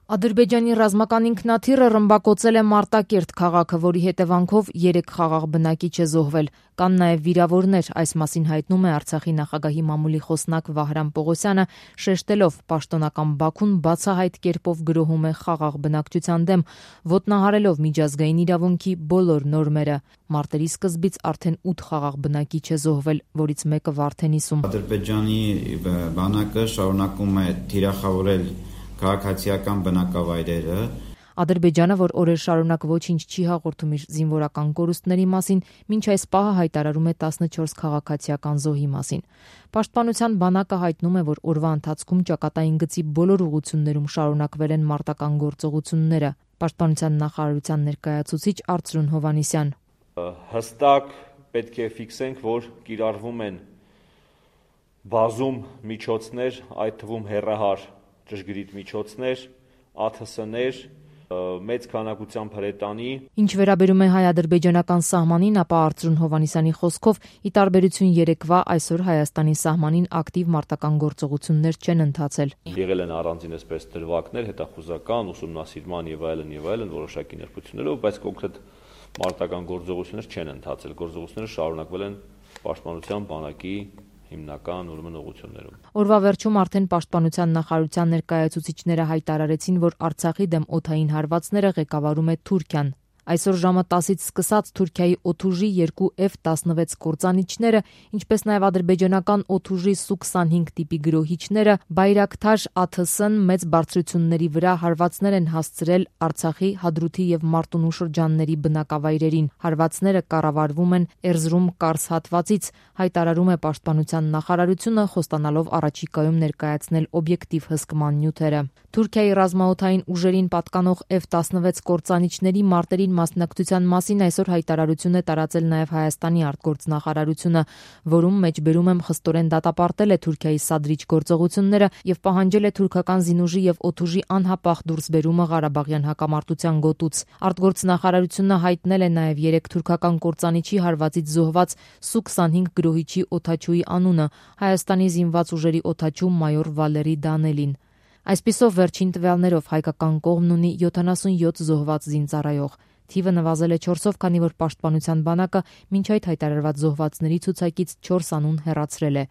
Ադրբեջանի ռազմական ինքնաթիռը ռմբակոծել է Մարտակերտ քաղաքը, որի հետևանքով 3 խաղաղ բնակիչ է զոհվել։ Կան նաև վիրավորներ, այս մասին հայտնում է Արցախի նախագահի մամուլի խոսնակ Վահրամ Պողոսյանը, շեշտելով պաշտոնական Բաքուն բացահայտ կերպով գրոհում է խաղաղ բնակչության դեմ, ոտնահարելով միջազգային իրավունքի բոլոր նորմերը։ Մարտերի սկզբից արդեն 8 խաղաղ բնակիչ է զոհվել, որից մեկը Վարդենիսում։ Ադրբեջանի բանակը շարունակում է թիրախավորել քաղաքացիական բնակավայրերը։ Ադրբեջանը, որ օրեր շարունակ ոչինչ չի հաղորդում իր զինվորական կորուստների մասին, մինչ այս պահը հայտարարում է 14 քաղաքացիական զոհի մասին։ Պաշտպանության բանակը հայտնում է, որ օրվա ընթացքում ճակատային գծի բոլոր ուղղություններում շարունակվել են մարտական գործողությունները։ Պաշտպանության նախարարության ներկայացուցիչ Արծրուն Հովհաննիսյան. Հստակ պետք է ֆիքսենք, որ կիրառվում են բազում միջոցներ, այդ թվում հեռահար ճշգրիտ միջոցներ, ԱԹՍ-ներ, մեծ քանակությամբ հրետանի։ Ինչ վերաբերում է հայ-ադրբեջանական սահմանին, ապա Արծրուն Հովհաննիսյանի խոսքով, ի տարբերություն երեկվա, այսօր Հայաստանի սահմանին ակտիվ մարտական գործողություններ չեն ընթացել։ Եղել են առանձին այսպես դրվագներ, հետախուզական, ուսումնասիրման եւ այլն, որոշակի ներկայություններով, բայց կոնկրետ մարտական գործողություններ չեն ընթացել։ Գործողությունները շարունակվել են պաշտպանության բանակի հիմնական ուղղություններում։ Օրվա վերջում արդեն պաշտպանության նախարարության ներկայացուցիչները հայտարարեցին, որ Արցախի դեմ օդային հարվածները ղեկավարում է Թուրքիան։ Այսօր ժամը 10-ից սկսած Թուրքիայի օդուժի 2 F-16 կործանիչները, ինչպես նաև ադրբեջանական օդուժի Su-25 տիպի գրոհիչները, Բայրակթար ԱԹՍ-ն մեծ բարձրությունների վրա հարվածներ են հասցրել Արցախի, Հադրութի եւ Մարտունու շրջանների բնակավայրերին։ Հարվածները կառավարվում են Էրզրում Կարս հատվածից, հայտարարում է պաշտպանության նախարարությունը, խոստանալով առաջիկայում ներկայացնել օբյեկտիվ հսկման նյութերը։ Թուրքիայի ռազմաօդային ուժերին պատկանող F-16 կործանիչների մարտերին մասնակցության մասին այսօր հայտարարություն է տարածել նաև Հայաստանի արտգործնախարարությունը, որում մեջբերում եմ խստորեն դատապարտել է Թուրքիայի սադրիչ գործողությունները եւ պահանջել է թուրքական զինուժի եւ օդուժի անհապաղ դուրսբերումը Ղարաբաղյան հակամարտության գոտուց։ Արտգործնախարարությունը հայտնել է նաև 3 թուրքական կործանիչի հարվածից զոհված Su-25 գրոհիչի օդաչուի անունը՝ Հայաստանի զինված ուժերի օդաչու մայոր Վալերի Դանելին։ Այսպիսով վերջին տվյալներով հայկական կողմն ունի 77 զոհված զինծառայող։ Թիվը նվազել է 4-ով, քանի որ պաշտպանության բանակը մինչ այդ հայտարարված զոհվածների ցուցակից 4 անուն հեռացրել է։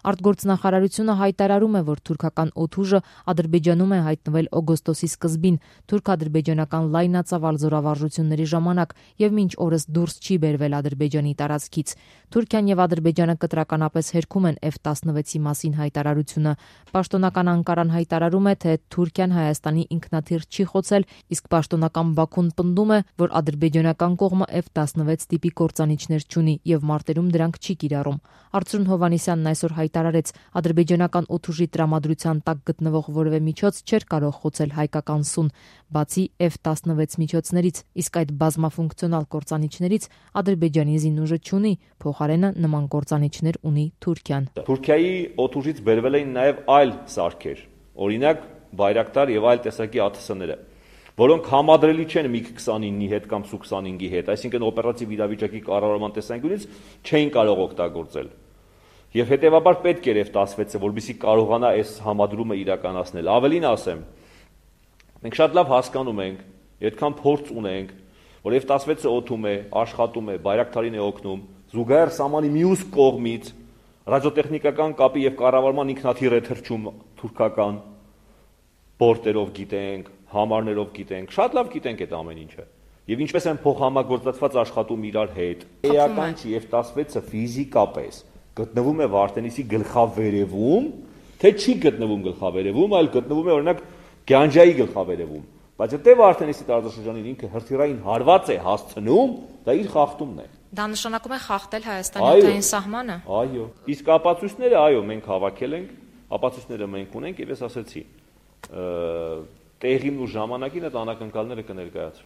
Արտգործնախարարությունը հայտարարում է, որ թուրքական օդուժը Ադրբեջանում է հայտնվել օգոստոսի սկզբին թուրք-ադրբեջանական լայնածավալ զորավարժությունների ժամանակ եւ մինչ օրս դուրս չի բերվել Ադրբեջանի տարածքից։ Թուրքիան եւ Ադրբեջանը կտրականապես հերքում են F-16-ի մասին հայտարարությունը։ Պաշտոնական Անկարան հայտարարում է, թե Թուրքիան Հայաստանի ինքնաթիռ չի խոցել, իսկ պաշտոնական Բաքուն պնդում է, որ ադրբեջանական կողմը F-16 տիպի կործանիչներ չունի եւ մարտերում դրանք չի կիրառում։ Արծրուն Հովհաննիսյանն այսօր հայտարարեց, ադրբեջանական օդուժի տրամադրության տակ գտնվող որևէ միջոց չէր կարող խոցել հայկական Սուն, բացի F-16 միջոցներից, իսկ այդ բազմաֆունկցիոնալ կործանիչներից Ադրբեջանի զինուժը չունի, փոխարենը նման կործանիչներ ունի Թուրքիան։ Թուրքիայի օդուժից բերվել էին նաև այլ սարքեր, օրինակ Բայրակտար եւ այլ տեսակի ԱԹՍ-ները, որոնք համադրելի չեն MiG-29-ի հետ կամ Su-25-ի հետ, այսինքն օպերատիվ իրավիճակի կառավարման տեսանկյունից չէին կարող օգտագործել։ Եվ հետևաբար պետք էր F-16-ը, որպեսզի կարողանա այս համադրումը իրականացնել։ Ավելին ասեմ, մենք շատ լավ հասկանում ենք, այդքան փորձ ունենք, որ F-16-ը օդում է, աշխատում է, Բայրակթարին է օգնում, զուգահեռ սահմանի մյուս կողմից ռադիոտեխնիկական կապի եւ կառավարման ինքնաթիռ է թռչում թուրքական բորտերով գիտենք, համարներով գիտենք, շատ լավ գիտենք այդ ամեն ինչը։ Եվ ինչպես են փոխհամագործակցված աշխատում իրար հետ։ Էական չի F-16-ը ֆիզիկապես գտնվում է Վարդենիսի գլխավերևում, թե չի գտնվում գլխավերևում, այլ գտնվում է օրինակ Գյանջայի գլխավերևում։ Բայց եթե Վարդենիսի տարածաշրջանին ինքը հրթիռային հարված է հասցնում, դա իր խախտումն է։ Դա նշանակում է խախտել Հայաստանի օդային սահմանը։ Այո։ Իսկ ապացույցները, այո, մենք հավաքել ենք, ապացույցները մենք ունենք, եւ ես ասացի, տեղին ու ժամանակին այդ անակնկալները կներկայացվեն։